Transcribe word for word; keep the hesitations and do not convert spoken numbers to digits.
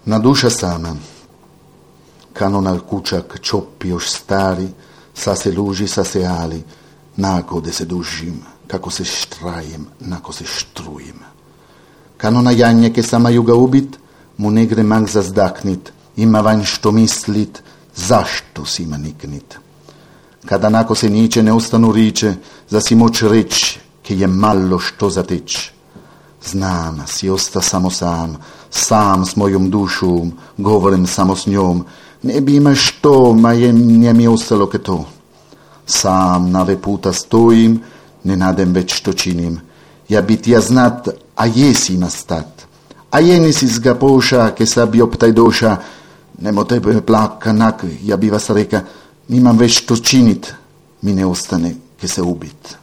Na duša sama, kanonal kučak čopi još stari, sa se luži, sa se ali, nako da se dužim, kako se štrajem, nako se štrujem. Kanona janje ke sama juga ubit, mu ne gre mak zazdaknit, ima vanj što mislit, zašto si ima niknit. Kada nako se niče ne ostanu riče, za si moć reći, ke je malo što zateć. Znam, si osta samo sam, sam s mojom dušom, govorim samo s njom, ne bi ima što, ma je, nije mi ostalo ke to. Sam na ve puta stojim, ne nadem već što činim. Ja bi ti ja znat, a jesi ima stat. A je nisi zga poša, ke sabi optaj doša, nemo tebe plaka nak, ja bi vas reka, imam već što činit, mi ne ostane ke se ubit.